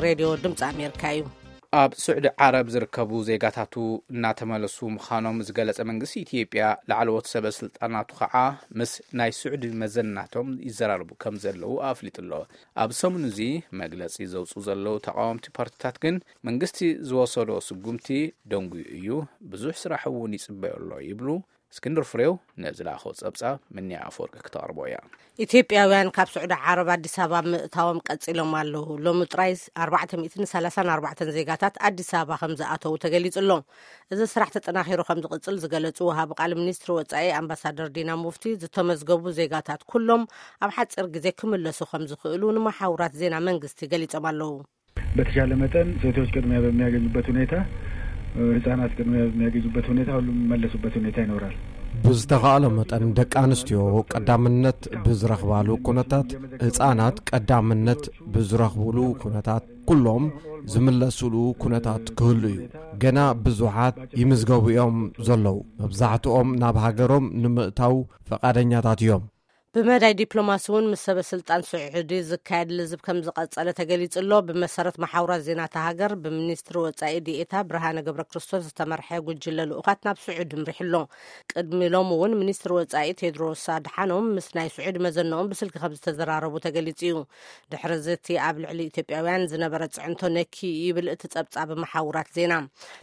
ሬድዮ ድምፂ ኣሜሪካ እዩ። ኣብ ስዑዲ ዓረብ ዝርከቡ ዜጋታቱ እናተመለሱ ምዃኖም ዝገለጸ መንግስቲ ኢትዮጵያ፣ ላዕለዎት ሰበ ስልጣናቱ ከዓ ምስ ናይ ስዑዲ መዘናቶም ይዘራረቡ ከም ዘለዉ ኣፍሊጡ ኣሎ። ኣብ ሰሙን እዚ መግለጺ ዘውፅኡ ዘለዉ ተቃወምቲ ፓርቲታት ግን፣ መንግስቲ ዝወሰዶ ስጉምቲ ደንጉዩ እዩ፣ ብዙሕ ስራሕ እውን ይጽበዮ ኣሎ ይብሉ። እስክንድር ፍሬው ነዚ ለኣኸው ጸብጻብ ምንያ ኣፈወርቂ ክተቕርቦ እያ። ኢትዮጵያውያን ካብ ስዑዲ ዓረብ ኣዲስ ኣበባ ምእታዎም ቀጺሎም ኣለዉ። ሎሚ ጥራይ ኣርባዕተ ሚእትን ሰላሳን ኣርባዕተን ዜጋታት ኣዲስ ኣበባ ከም ዝኣተዉ ተገሊጹ ኣሎ። እዚ ስራሕ ተጠናኺሩ ከም ዝቕጽል ዝገለጹ ወሃቢ ቃል ሚኒስትሪ ወጻኢ ኣምባሳደር ዲና ሙፍቲ፣ ዝተመዝገቡ ዜጋታት ኩሎም ኣብ ሓጺር ግዜ ክምለሱ ከም ዝኽእሉ ንመሓውራት ዜና መንግስቲ ገሊጾም ኣለዉ። በተቻለ መጠን ሴቶች ቅድሚያ በሚያገኙበት ሁኔታ፣ ህጻናት ቅድሚያ በሚያገኙበት ሁኔታ ሁሉም የሚመለሱበት ሁኔታ ይኖራል። ብዝተኻእለ መጠን ደቂ ኣንስትዮ ቀዳምነት ብዝረኽባሉ ኩነታት፣ ህጻናት ቀዳምነት ብዝረኽብሉ ኩነታት፣ ኩሎም ዝምለሱሉ ኩነታት ክህሉ እዩ። ገና ብዙሓት ይምዝገቡ እዮም ዘለዉ። መብዛሕትኦም ናብ ሃገሮም ንምእታው ፈቓደኛታት እዮም። ብመዳይ ዲፕሎማሲ እውን ምስ ሰበ ስልጣን ስዑዲ ዝካየድ ልዝብ ከም ዝቐጸለ ተገሊጹ ኣሎ። ብመሰረት መሓውራት ዜና እታ ሃገር፣ ብሚኒስትሪ ወጻኢ ዲኤታ ብርሃነ ገብረ ክርስቶስ ዝተመርሐ ጉጅለ ልኡኻት ናብ ስዑዲ ኣምሪሑ ኣሎ። ቅድሚ ሎሚ እውን ሚኒስትሪ ወጻኢ ቴድሮስ ኣድሓኖም ምስ ናይ ስዑዲ መዘንኦም ብስልኪ ከም ዝተዘራረቡ ተገሊጹ እዩ። ድሕሪ እዚ እቲ ኣብ ልዕሊ ኢትዮጵያውያን ዝነበረ ጽዕንቶ ነኪ ይብል እቲ ጸብጻብ መሓውራት ዜና።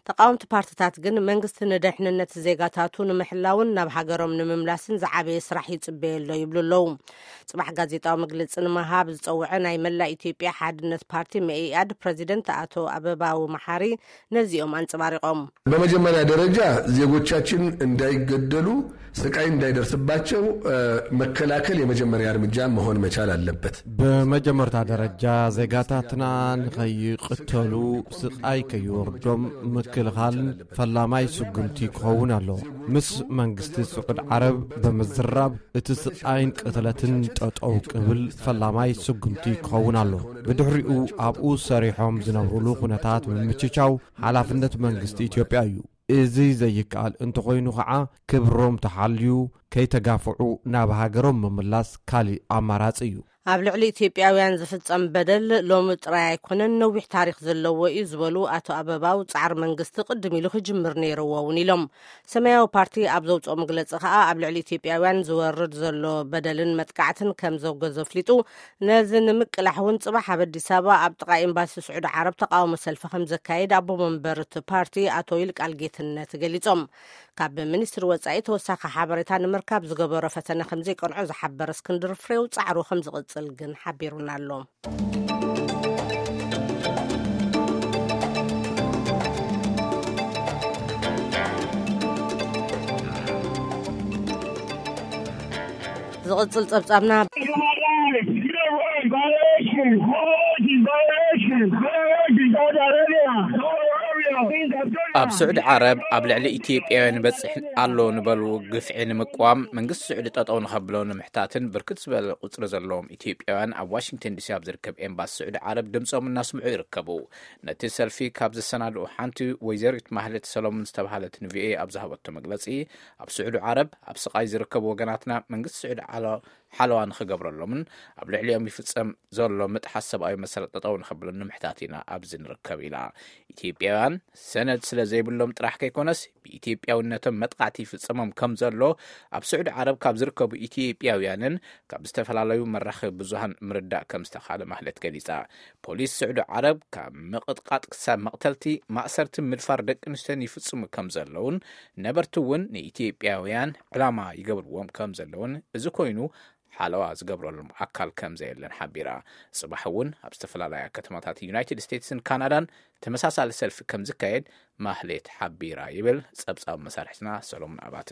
ተቃወምቲ ፓርቲታት ግን፣ መንግስቲ ንደሕንነት ዜጋታቱ ንምሕላውን ናብ ሃገሮም ንምምላስን ዝዓበየ ስራሕ ይጽበዮ ኣሎ ይብሉ ኣለዉ። ጽባሕ ጋዜጣዊ መግለጺ ንምሃብ ዝጸውዐ ናይ መላእ ኢትዮጵያ ሓድነት ፓርቲ መኢኣድ ፕረዚደንት ኣቶ ኣበባው መሓሪ ነዚኦም ኣንጸባሪቖም። በመጀመሪያ ደረጃ ዜጎቻችን እንዳይገደሉ፣ ስቃይ እንዳይደርስባቸው መከላከል የመጀመሪያ እርምጃ መሆን መቻል አለበት። ብመጀመርታ ደረጃ ዜጋታትና ንኸይቕተሉ፣ ስቃይ ከይወርዶም ምክልኻልን ፈላማይ ስጉምቲ ክኸውን ኣሎ። ምስ መንግስቲ ስዑድ ዓረብ ብምዝራብ፣ እቲ ስቃይን ቅትለትን ጠጠው ክብል ፈላማይ ስጉምቲ ክኸውን ኣሎ። ብድሕሪኡ ኣብኡ ሰሪሖም ዝነብሩሉ ኩነታት ምምችቻው ሓላፍነት መንግስቲ ኢትዮጵያ እዩ። እዚ ዘይከኣል እንተኾይኑ ኸዓ፣ ክብሮም ተሓልዩ ከይተጋፍዑ ናብ ሃገሮም ምምላስ ካሊእ ኣማራጺ እዩ። ኣብ ልዕሊ ኢትዮጵያውያን ዝፍጸም በደል ሎሚ ጥራይ ኣይኮነን፣ ነዊሕ ታሪኽ ዘለዎ እዩ ዝበሉ ኣቶ ኣበባው፣ ጻዕሪ መንግስቲ ቅድም ኢሉ ክጅምር ነይርዎ እውን ኢሎም። ሰማያዊ ፓርቲ ኣብ ዘውፅኦ መግለፂ ከኣ፣ ኣብ ልዕሊ ኢትዮጵያውያን ዝወርድ ዘሎ በደልን መጥቃዕትን ከም ዘውገዘ ኣፍሊጡ፣ ነዚ ንምቅላሕ እውን ጽባሕ ኣብ ኣዲስ ኣበባ ኣብ ጥቓ ኤምባሲ ስዑዲ ዓረብ ተቃውሞ ሰልፊ ከም ዘካይድ ኣቦ መንበር እቲ ፓርቲ ኣቶ ይልቃል ጌትነት ገሊጾም። ካብ ሚኒስትሪ ወጻኢ ተወሳኺ ሓበሬታ ንምርካብ ዝገበሮ ፈተነ ከም ዘይቀንዖ ዝሓበረ እስክንድር ፍሬው፣ ጻዕሩ ከም ዝቕጽል ግን ሓቢሩና ኣሎ። ዝቕጽል ጸብጻብና። ኣብ ስዑዲ ዓረብ ኣብ ልዕሊ ኢትዮጵያውያን ይበጽሕ ኣሎ ንበልዎ ግፍዒ ንምቅዋም መንግስቲ ስዑዲ ጠጠው ንኸብሎ ንምሕታትን ብርክት ዝበለ ቁጽሪ ዘለዎም ኢትዮጵያውያን ኣብ ዋሽንግተን ዲሲ ኣብ ዝርከብ ኤምባሲ ስዑዲ ዓረብ ድምጾም እናስምዑ ይርከቡ። ነቲ ሰልፊ ካብ ዘሰናድኡ ሓንቲ ወይዘሪት ማህሌት ሰሎሞን ዝተባህለት ንቪኦኤ ኣብ ዝሃበቶ መግለጺ፣ ኣብ ስዑዲ ዓረብ ኣብ ስቓይ ዝርከቡ ወገናትና መንግስቲ ስዑዲ ዓለ ሓለዋ ንኽገብረሎምን ኣብ ልዕሊኦም ይፍጸም ዘሎ ምጥሓስ ሰብኣዊ መሰላት ጠጠው ንኸብለሉ ንምሕታት ኢና ኣብዚ ንርከብ ኢላ። ኢትዮጵያውያን ሰነድ ስለ ዘይብሎም ጥራሕ ከይኮነስ ብኢትዮጵያውነቶም መጥቃዕቲ ይፍጸሞም ከም ዘሎ ኣብ ስዑዲ ዓረብ ካብ ዝርከቡ ኢትዮጵያውያንን ካብ ዝተፈላለዩ መራኸቢ ብዙሃን ምርዳእ ከም ዝተኻለ ማህለት ገሊጻ። ፖሊስ ስዑዲ ዓረብ ካብ ምቕጥቃጥ ክሳብ መቕተልቲ፣ ማእሰርትን ምድፋር ደቂ ኣንስትዮን ይፍጽሙ ከም ዘለውን ነበርቲ እውን ንኢትዮጵያውያን ዕላማ ይገብርዎም ከም ዘለውን እዚ ኮይኑ ሓለዋ ዝገብረሎም ኣካል ከም ዘየለን ሓቢራ። ጽባሕ እውን ኣብ ዝተፈላለያ ከተማታት ዩናይትድ ስቴትስን ካናዳን ተመሳሳሊ ሰልፊ ከም ዝካየድ ማህሌት ሓቢራ ይብል ጸብጻብ መሳርሕትና ሰሎሞን ኣባተ።